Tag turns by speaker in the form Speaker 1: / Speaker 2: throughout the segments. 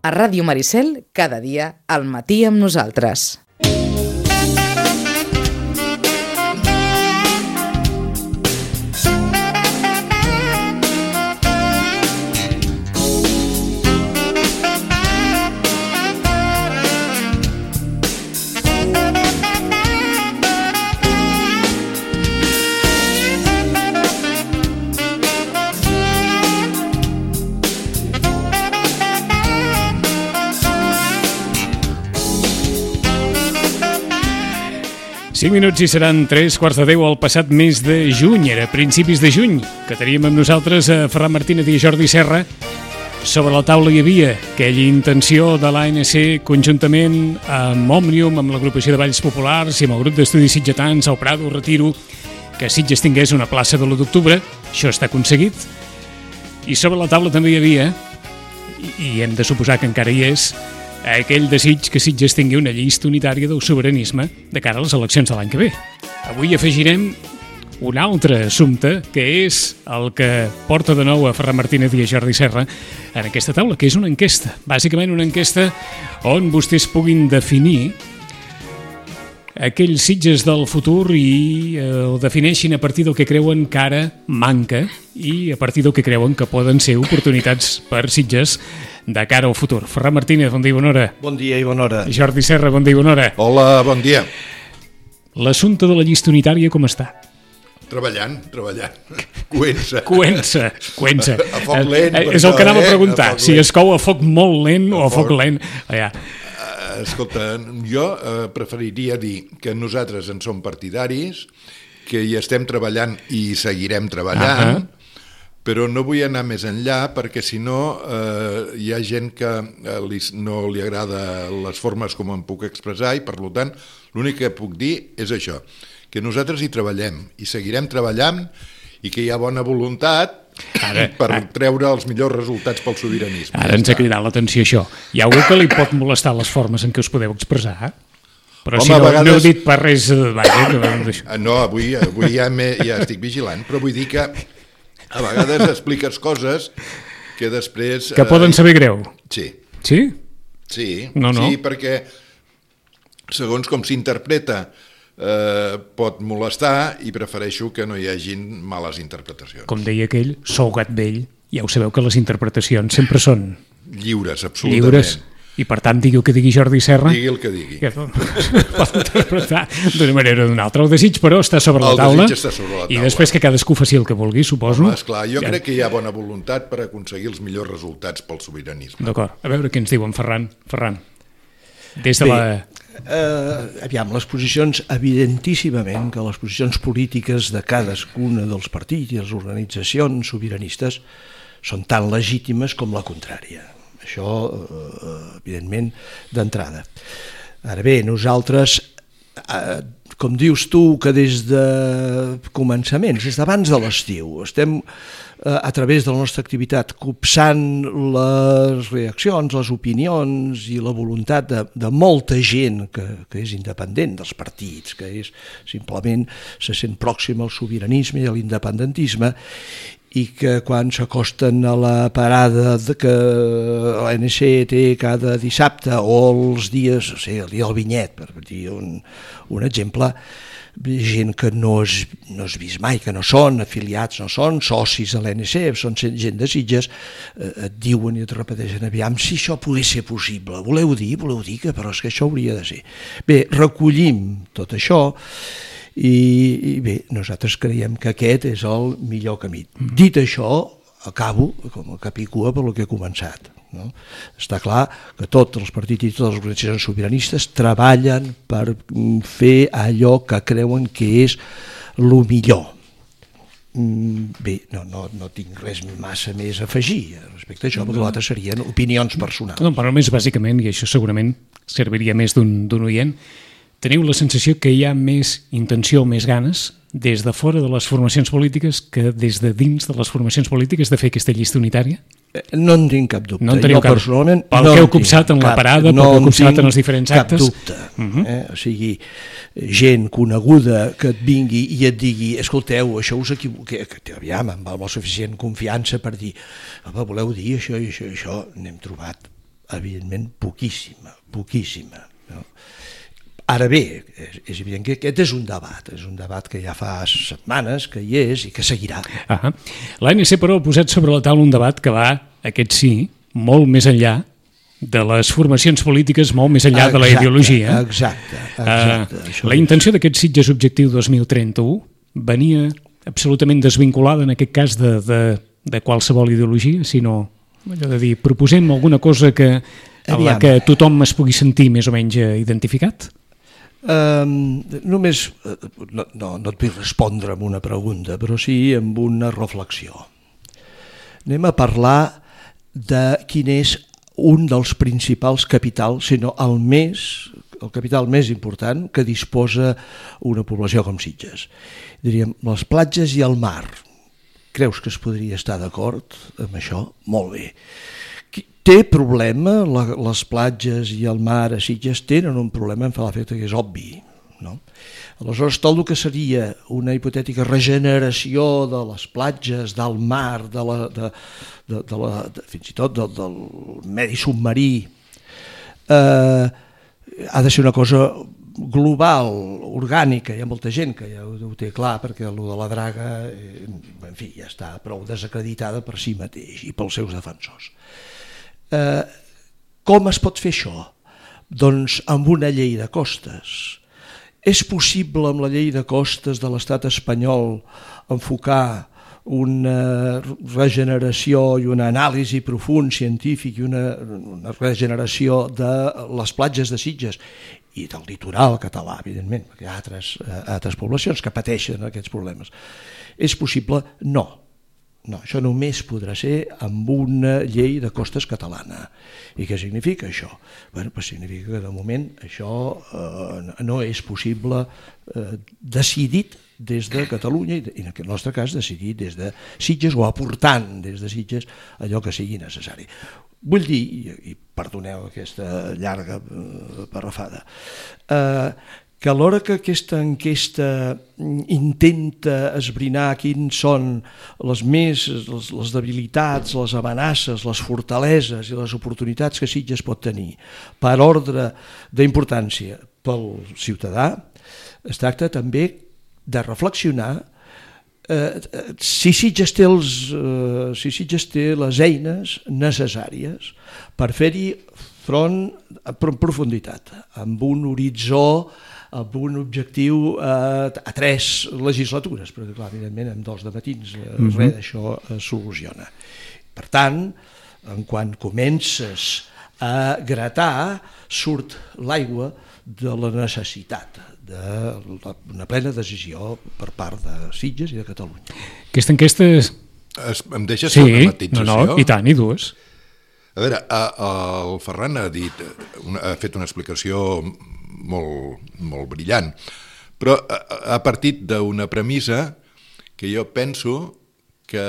Speaker 1: A Ràdio Maricel, cada dia, al matí amb nosaltres.
Speaker 2: Cinc minuts i seran 3:15 al passat mes de juny, era principis de juny, que teníem amb nosaltres a Ferran Martínez i a Jordi Serra. Sobre la taula hi havia aquella intenció de l'ANC conjuntament amb Òmnium, amb l'agrupació de Balls Populars i amb el grup d'estudis sitgetans, el Prado, Retiro, que Sitges tingués una plaça de l'1 d'octubre. Això està aconseguit. I sobre la taula també hi havia, i hem de suposar que encara hi és, aquell desig que Sitges tingui una llista unitària del sobiranisme de cara a les eleccions de l'any que ve. Avui afegirem un altre assumpte, que és el que porta de nou a Ferran Martínez i a Jordi Serra en aquesta taula, que és una enquesta. Bàsicament una enquesta on vostès puguin definir aquells Sitges del futur i ho defineixin a partir del que creuen que ara manca i a partir del que creuen que poden ser oportunitats per Sitges de cara al futur. Ferran Martínez, bon dia i bona hora.
Speaker 3: Bon dia i bona hora.
Speaker 2: Jordi Serra, bon dia i bona hora.
Speaker 3: Hola, bon dia.
Speaker 2: L'assumpte de la llista unitària com està?
Speaker 3: Treballant. Coent-se.
Speaker 2: A
Speaker 3: foc lent.
Speaker 2: És el que anava a preguntar, si es cou a foc molt lent o a foc lent. Allà.
Speaker 3: Escolta, jo preferiria dir que nosaltres en som partidaris, que hi estem treballant i seguirem treballant, però no vull anar més enllà perquè si no hi ha gent que no li agrada les formes com em puc expressar i per tant l'únic que puc dir és això, que nosaltres hi treballem i seguirem treballant i que hi ha bona voluntat per treure els millors resultats pel sobiranisme.
Speaker 2: Ara ens ha cridat l'atenció això. Hi ha algú que li pot molestar les formes en què us podeu expressar? Però si no heu dit per res...
Speaker 3: No, avui ja estic vigilant, però vull dir que a vegades expliques coses que després...
Speaker 2: Que poden saber greu.
Speaker 3: Sí.
Speaker 2: Sí?
Speaker 3: Sí,
Speaker 2: no.
Speaker 3: Sí, perquè segons com s'interpreta pot molestar i prefereixo que no hi hagin males interpretacions.
Speaker 2: Com deia aquell, sou gat vell, ja ho sabeu que les interpretacions sempre són...
Speaker 3: Lliures, absolutament. Lliures.
Speaker 2: I per tant, digui el que digui Jordi Serra...
Speaker 3: Digui el que digui.
Speaker 2: Pot interpretar d'una manera o d'una altra. El desig, però, està sobre la taula.
Speaker 3: El desig està sobre la taula.
Speaker 2: I després que cadascú faci el que vulgui, suposo.
Speaker 3: Home, esclar, jo crec que hi ha bona voluntat per aconseguir els millors resultats pel sobiranisme.
Speaker 2: D'acord. A veure què ens diuen, Ferran. Des de la...
Speaker 4: Aviam, les posicions, evidentíssimament que les posicions polítiques de cadascuna dels partits i les organitzacions sobiranistes són tan legítimes com la contrària. Això, evidentment, d'entrada. Ara bé, nosaltres, com dius tu, que des de començaments, des d'abans de l'estiu, estem a través de la nostra activitat copsant les reaccions, les opinions i la voluntat de molta gent que és independent dels partits, que és simplement se sent pròxim al sobiranisme i a l'independentisme, i que quan s'acosten a la parada que l'ANC té cada dissabte o els dies, el dia del Vinyet, per dir un exemple, gent que no has vist mai, que no són afiliats, no són socis de l'ANC, són gent de Sitges, et diuen i et repeteixen, aviam, si això pogués ser possible, voleu dir que però és que això hauria de ser. Bé, recollim tot això i bé, nosaltres creiem que aquest és el millor camí. Dit això, acabo com a capicua per el que he començat. No? Està clar que tots els partits i totes les organitzacions sobiranistes treballen per fer allò que creuen que és el millor. Bé, no tinc res massa més a afegir respecte a això, perquè l'altre serien opinions personals.
Speaker 2: No, però més bàsicament, i això segurament serviria més d'un oient, teniu la sensació que hi ha més intenció, més ganes, des de fora de les formacions polítiques que des de dins de les formacions polítiques de fer aquesta llista unitària?
Speaker 4: No en tinc cap dubte.
Speaker 2: No en teniu
Speaker 4: personalment,
Speaker 2: pel que heu copsat en la parada, pel que heu copsat en els diferents actes?
Speaker 4: Cap dubte. O sigui, gent coneguda que et vingui i et digui, escolteu, això us equivoqueu, aviam, amb la suficient confiança per dir, voleu dir això i això, n'hem trobat evidentment poquíssima. No? Ara bé, és evident que aquest és un debat que ja fa setmanes que hi és i que seguirà.
Speaker 2: L'ANC, però, ha posat sobre la taula un debat que va, aquest sí, molt més enllà de les formacions polítiques, molt més enllà de la ideologia.
Speaker 4: Exacte.
Speaker 2: La intenció d'aquest Sitges Objectiu 2031 venia absolutament desvinculada, en aquest cas, de qualsevol ideologia, sinó, allò de dir, proposem alguna cosa en la que tothom es pugui sentir més o menys identificat?
Speaker 4: Només no et vull respondre amb una pregunta, però sí amb una reflexió. Anem a parlar de quin és un dels principals capitals, sinó el capital més important que disposa una població com Sitges. Diríem, les platges i el mar. Creus que es podria estar d'acord amb això? Molt bé. Té problema, les platges i el mar a Sitges tenen un problema, em fa l'efecte que és obvi, no? Aleshores, tot el que seria una hipotètica regeneració de les platges, del mar, fins i tot del medi submarí, ha de ser una cosa global, orgànica. Hi ha molta gent que ja ho té clar, perquè allò de la draga, en fi, ja està prou desacreditada per si mateix i pels seus defensors. Com es pot fer això? Doncs amb una llei de costes. És possible amb la llei de costes de l'estat espanyol enfocar una regeneració i una anàlisi profund científic i una regeneració de les platges de Sitges i del litoral català, evidentment, perquè hi ha altres poblacions que pateixen aquests problemes. És possible? No. No, això només podrà ser amb una llei de costes catalana. I què significa això? Bé, doncs significa que de moment això no és possible decidit des de Catalunya i en el nostre cas decidit des de Sitges o aportant des de Sitges allò que sigui necessari. Vull dir, i perdoneu aquesta llarga parrafada, que alhora que aquesta enquesta intenta esbrinar quins són les debilitats, les amenaces, les fortaleses i les oportunitats que Sitges pot tenir per ordre d'importància pel ciutadà, es tracta també de reflexionar si Sitges té les eines necessàries per fer-hi front en profunditat, amb un horitzó, amb un objectiu a 3 legislatures, perquè clar, evidentment en 2 de matins res d'això es soluciona. Per tant, en quan comences a gratar, surt l'aigua de la necessitat d'una plena decisió per part de Sitges i de Catalunya.
Speaker 2: Aquesta enquesta...
Speaker 3: Em deixes fer una matització?
Speaker 2: I tant, i dues.
Speaker 3: A veure, el Ferran ha fet una explicació molt brillant, però ha partit d'una premissa que jo penso que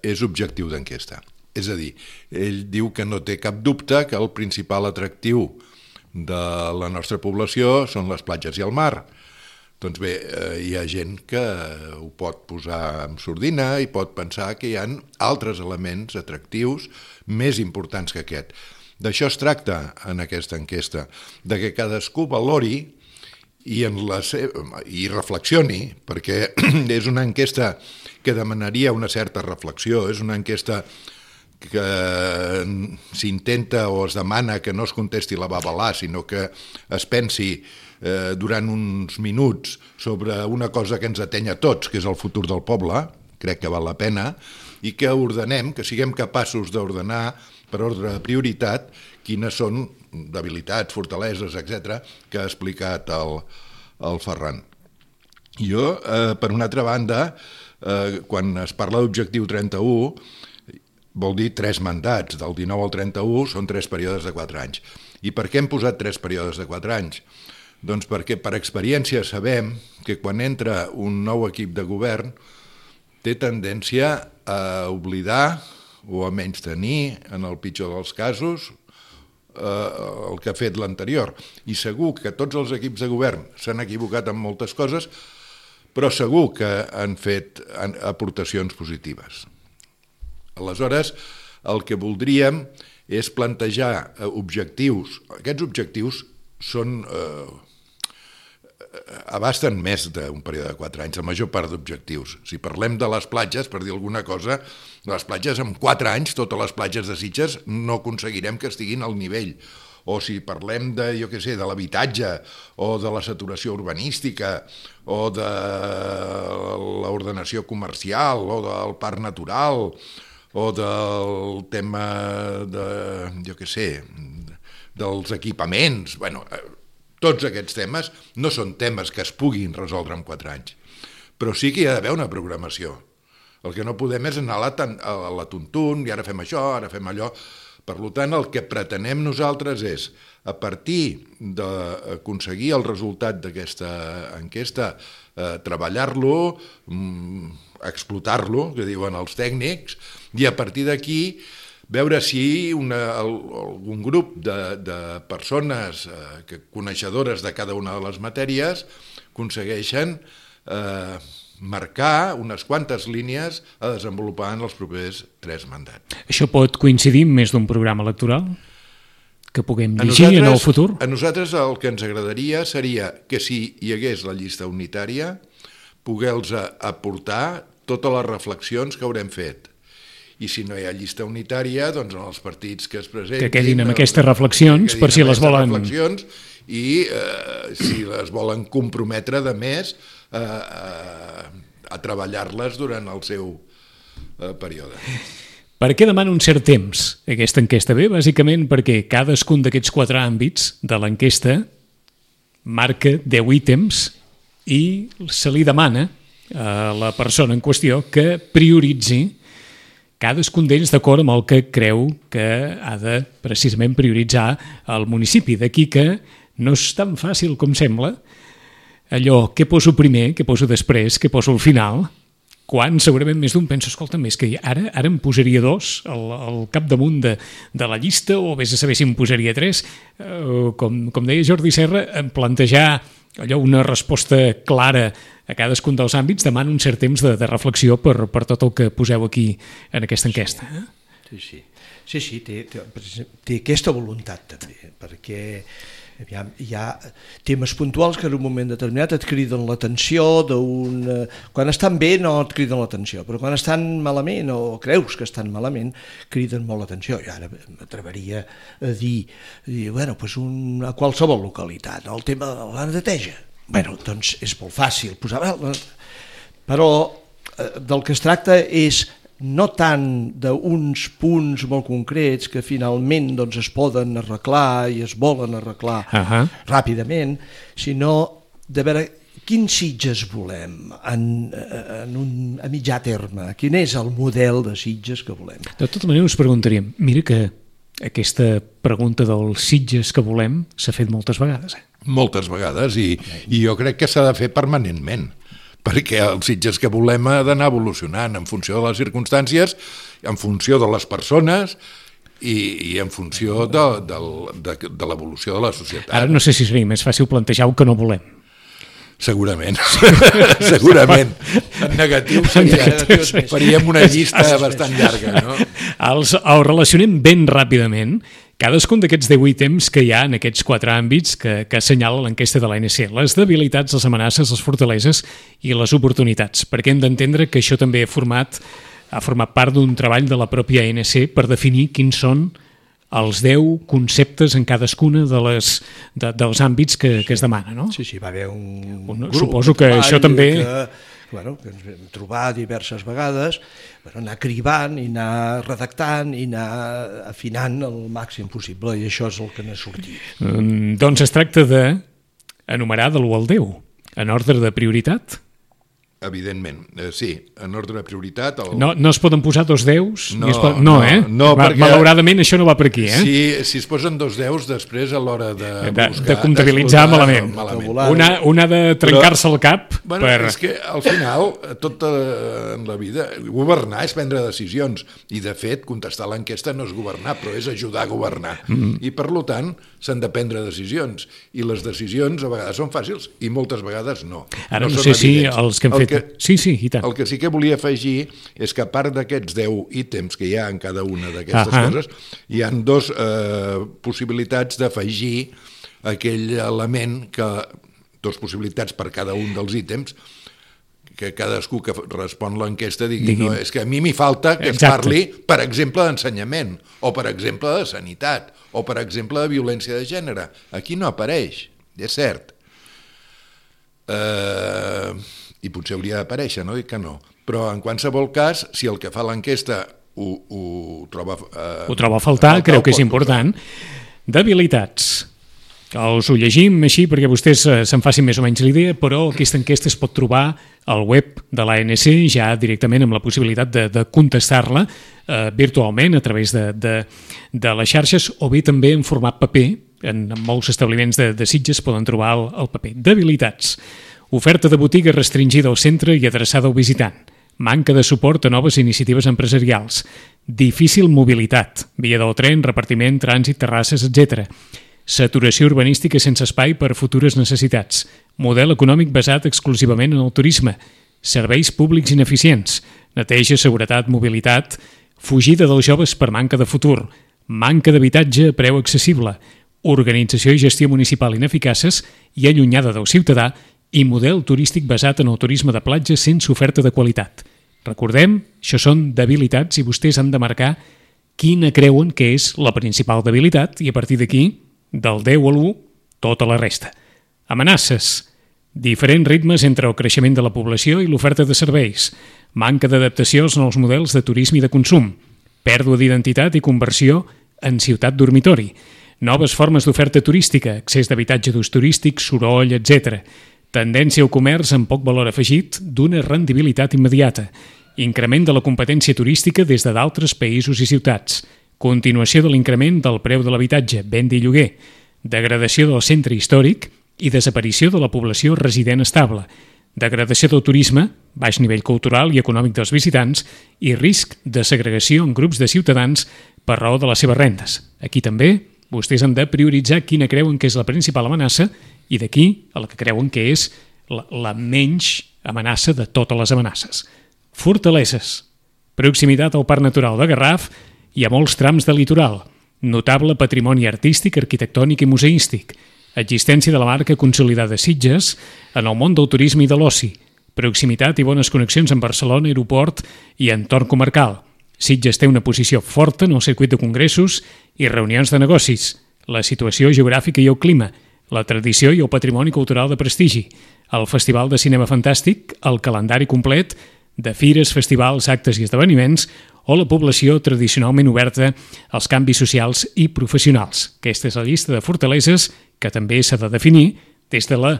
Speaker 3: és objectiu d'enquesta. És a dir, ell diu que no té cap dubte que el principal atractiu de la nostra població són les platges i el mar. Doncs bé, hi ha gent que ho pot posar en sordina i pot pensar que hi ha altres elements atractius més importants que aquest. D'això es tracta en aquesta enquesta, de que cadascú valori i reflexioni, perquè és una enquesta que demanaria una certa reflexió, és una enquesta que s'intenta o es demana que no es contesti la babalà, sinó que es pensi durant uns minuts sobre una cosa que ens ateny a tots, que és el futur del poble, crec que val la pena, i que ordenem, que siguem capaços d'ordenar per ordre de prioritat quines són debilitats, fortaleses, etc., que ha explicat el Ferran. Jo, per una altra banda, quan es parla d'objectiu 31, vol dir 3 mandats, del 19 al 31 són 3 períodes de 4 anys. I per què hem posat 3 períodes de 4 anys? Doncs perquè per experiència sabem que quan entra un nou equip de govern té tendència a oblidar o a menystenir, en el pitjor dels casos, el que ha fet l'anterior. I segur que tots els equips de govern s'han equivocat en moltes coses, però segur que han fet aportacions positives. Aleshores, el que voldríem és plantejar objectius. Aquests objectius són... abasten més d'un període de 4 anys, la major part d'objectius. Si parlem de les platges, per dir alguna cosa, les platges en 4 anys, totes les platges de Sitges, no aconseguirem que estiguin al nivell. O si parlem de, jo què sé, de l'habitatge, o de la saturació urbanística, o de l'ordenació comercial, o del parc natural, o del tema de, jo què sé, dels equipaments, bueno... Tots aquests temes no són temes que es puguin resoldre en 4 anys, però sí que hi ha d'haver una programació. El que no podem és anar a la tuntun, i ara fem això, ara fem allò. Per tant, el que pretenem nosaltres és, a partir d'aconseguir el resultat d'aquesta enquesta, treballar-lo, explotar-lo, que diuen els tècnics, i a partir d'aquí veure si algun grup de persones coneixedores de cada una de les matèries aconsegueixen marcar unes quantes línies a desenvolupar en els propers 3 mandats.
Speaker 2: Això pot coincidir amb més d'un programa electoral que puguem llegir en el futur?
Speaker 3: A nosaltres el que ens agradaria seria que si hi hagués la llista unitària poder-los aportar totes les reflexions que haurem fet. I si no hi ha llista unitària, doncs en els partits que es presentin...
Speaker 2: Que quedin amb aquestes reflexions, per si les volen...
Speaker 3: I si les volen comprometre, de més, a treballar-les durant el seu període.
Speaker 2: Per què demana un cert temps aquesta enquesta? Bé, bàsicament perquè cadascun d'aquests 4 àmbits de l'enquesta marca 10 ítems i se li demana a la persona en qüestió que prioritzi cadascun d'ells d'acord amb el que creu que ha de precisament prioritzar el municipi. D'aquí que no és tan fàcil com sembla allò, què poso primer, què poso després, què poso al final, quan segurament més d'un pensa, escolta, més que ara em posaria 2 al capdamunt de la llista, o vés a saber si em posaria 3. Com deia Jordi Serra, plantejar allò, una resposta clara a cadascun dels àmbits demana un cert temps de reflexió per tot el que poseu aquí en aquesta enquesta.
Speaker 4: Sí, té aquesta voluntat també, perquè hi ha temes puntuals que en un moment determinat et criden l'atenció, quan estan bé no et criden l'atenció, però quan estan malament o creus que estan malament criden molt l'atenció. I ara m'atreviria a dir a qualsevol localitat, el tema de la neteja. Doncs és molt fàcil posar... Però del que es tracta és no tant d'uns punts molt concrets que finalment es poden arreglar i es volen arreglar ràpidament, sinó de veure quins Sitges volem a mitjà terme, quin és el model de Sitges que volem.
Speaker 2: De tota manera us preguntaríem, mira que aquesta pregunta dels Sitges que volem s'ha fet moltes vegades.
Speaker 3: Moltes vegades, i jo crec que s'ha de fer permanentment, perquè els Sitges que volem ha d'anar evolucionant en funció de les circumstàncies, en funció de les persones i en funció de l'evolució de la societat.
Speaker 2: Ara no sé si seria més fàcil plantejar el que no volem.
Speaker 3: Segurament. En negatiu faríem una llista bastant llarga, no?
Speaker 2: Els relacionem ben ràpidament cadascun d'aquests 10 ítems que hi ha en aquests 4 àmbits que assenyala l'enquesta de l'ANC, les debilitats, les amenaces, les fortaleses i les oportunitats, perquè hem d'entendre que això també ha format part d'un treball de la pròpia ANC per definir quins són els 10 conceptes en cadascuna dels àmbits que es demana, no?
Speaker 4: Sí, va haver un grup.
Speaker 2: Suposo que això també...
Speaker 4: Que ens vam trobar diverses vegades, anar cribant i anar redactant i anar afinant el màxim possible, i això és el que n'ha sortit.
Speaker 2: Doncs es tracta d'enumerar de l'1 al 10, en ordre de prioritat.
Speaker 3: Evidentment, sí, en ordre de prioritat...
Speaker 2: No es poden posar 2 10s?
Speaker 3: No, perquè...
Speaker 2: Malauradament això no va per aquí,
Speaker 3: Si es posen 2 10s, després a l'hora de buscar...
Speaker 2: De comptabilitzar malament. Un ha de trencar-se el cap
Speaker 3: És que al final, tot en la vida, governar és prendre decisions, i de fet, contestar l'enquesta no és governar, però és ajudar a governar. I per tant, s'han de prendre decisions, i les decisions a vegades són fàcils i moltes vegades no.
Speaker 2: Ara no sé si els que hem fet fet. Sí, i tant.
Speaker 3: El que sí que volia afegir és que a part d'aquests 10 ítems que hi ha en cada una d'aquestes coses, hi ha dues possibilitats d'afegir aquell element dues possibilitats per cada un dels ítems, que cadascú que respon l'enquesta digui, no, és que a mi m'hi falta que es parli, per exemple, d'ensenyament, o per exemple de sanitat, o per exemple de violència de gènere. Aquí no apareix, és cert. I potser hauria d'aparèixer, no dic que no. Però en qualsevol cas, si el que fa l'enquesta ho troba
Speaker 2: a faltar, creu que és important. Debilitats. Us ho llegim així perquè vostès se'n facin més o menys l'idea, però aquesta enquesta es pot trobar al web de l'ANC ja directament amb la possibilitat de contestar-la virtualment a través de les xarxes o bé també en format paper. En molts establiments de Sitges poden trobar el paper. Debilitats. Oferta de botiga restringida al centre i adreçada al visitant. Manca de suport a noves iniciatives empresarials. Difícil mobilitat. Via del tren, repartiment, trànsit, terrasses, etc. Saturació urbanística sense espai per futures necessitats. Model econòmic basat exclusivament en el turisme. Serveis públics ineficients. Neteja, seguretat, mobilitat. Fugida dels joves per manca de futur. Manca d'habitatge a preu accessible. Organització i gestió municipal ineficaces i allunyada del ciutadà i model turístic basat en el turisme de platja sense oferta de qualitat. Recordem, això són debilitats i vostès han de marcar quina creuen que és la principal debilitat i a partir d'aquí, del 10 a l'1, tota la resta. Amenaces. Diferents ritmes entre el creixement de la població i l'oferta de serveis. Manca d'adaptació als nous models de turisme i de consum. Pèrdua d'identitat i conversió en ciutat dormitori. Noves formes d'oferta turística, accés d'habitatge d'ús turístic, soroll, etc. Tendència al comerç amb poc valor afegit d'una rendibilitat immediata. Increment de la competència turística des de d'altres països i ciutats. Continuació de l'increment del preu de l'habitatge, venda i lloguer. Degradació del centre històric i desaparició de la població resident estable. Degradació del turisme, baix nivell cultural i econòmic dels visitants i risc de segregació en grups de ciutadans per raó de les seves rendes. Aquí també vostès han de prioritzar quina creuen que és la principal amenaça i d'aquí a la que creuen que és la menys amenaça de totes les amenaces. Fortaleses. Proximitat al Parc Natural de Garraf i a molts trams de litoral. Notable patrimoni artístic, arquitectònic i museístic. Existència de la marca consolidada Sitges en el món del turisme i de l'oci. Proximitat i bones connexions amb Barcelona, aeroport i entorn comarcal. Sitges té una posició forta en el circuit de congressos i reunions de negocis. La situació geogràfica i el clima. La tradició i el patrimoni cultural de prestigi. El Festival de Cinema Fantàstic, el calendari complet de fires, festivals, actes i esdeveniments o la població tradicionalment oberta als canvis socials i professionals. Aquesta és la llista de fortaleses que també s'ha de definir des de la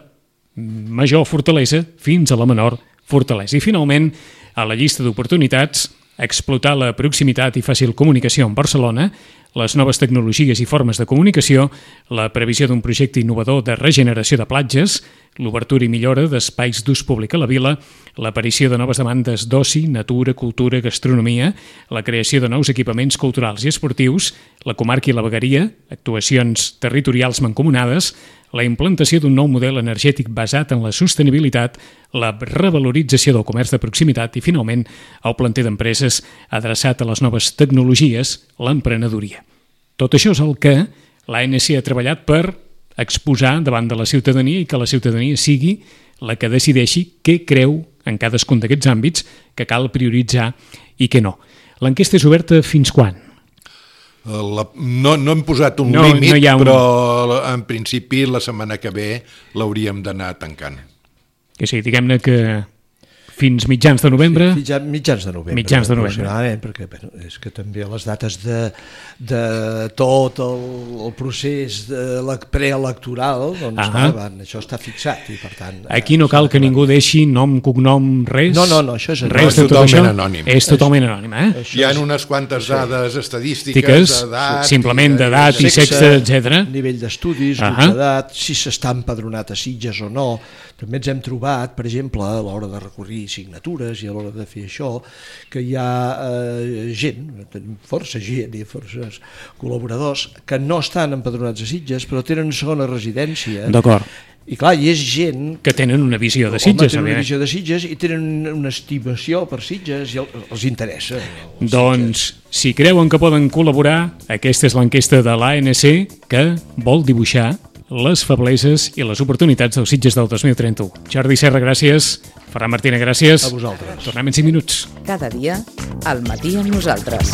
Speaker 2: major fortalesa fins a la menor fortalesa. I finalment, a la llista d'oportunitats, explotar la proximitat i fàcil comunicació amb Barcelona, les noves tecnologies i formes de comunicació, la previsió d'un projecte innovador de regeneració de platges, l'obertura i millora d'espais d'ús públic a la vila, l'aparició de noves demandes d'oci, natura, cultura, gastronomia, la creació de nous equipaments culturals i esportius, la comarca i la vegueria, actuacions territorials mancomunades, la implantació d'un nou model energètic basat en la sostenibilitat, la revalorització del comerç de proximitat i, finalment, el planter d'empreses adreçat a les noves tecnologies, l'emprenedoria. Tot això és el que l'ANC ha treballat per exposar davant de la ciutadania i que la ciutadania sigui la que decideixi què creu en cadascun d'aquests àmbits que cal prioritzar i què no. L'enquesta és oberta fins quan?
Speaker 3: No hem posat un límit, però en principi la setmana que ve l'hauríem d'anar tancant.
Speaker 2: Que sí, diguem-ne que fins mitjans de novembre?
Speaker 4: Sí, mitjans de novembre.
Speaker 2: Mitjans de novembre.
Speaker 4: Perquè és que també les dates de tot el procés preelectoral, doncs això està fixat i per tant...
Speaker 2: Aquí no cal que ningú deixi nom, cognom, res?
Speaker 4: No, això és
Speaker 3: res de tot això. Anònim.
Speaker 2: És totalment anònim,
Speaker 3: Hi ha unes quantes dades estadístiques, d'edat...
Speaker 2: Simplement d'edat i sexe, etc.
Speaker 4: Nivell d'estudis, grups d'edat, si s'està empadronat a Sitges o no. També ens hem trobat, per exemple, a l'hora de recorrir signatures i a l'hora de fer això, que hi ha gent, força gent i forces col·laboradors que no estan empadronats a Sitges però tenen una segona residència.
Speaker 2: D'acord.
Speaker 4: I clar, hi és gent...
Speaker 2: Que tenen una visió de Sitges.
Speaker 4: Tenen una visió de Sitges i tenen una estimació per Sitges i els interessa.
Speaker 2: Doncs, si creuen que poden col·laborar, aquesta és l'enquesta de l'ANC que vol dibuixar les febleses i les oportunitats dels Sitges del 2031. Jordi Serra, gràcies. Ferran Martina, gràcies.
Speaker 4: A vosaltres.
Speaker 2: Tornem en 5 minuts.
Speaker 1: Cada dia, al matí amb nosaltres.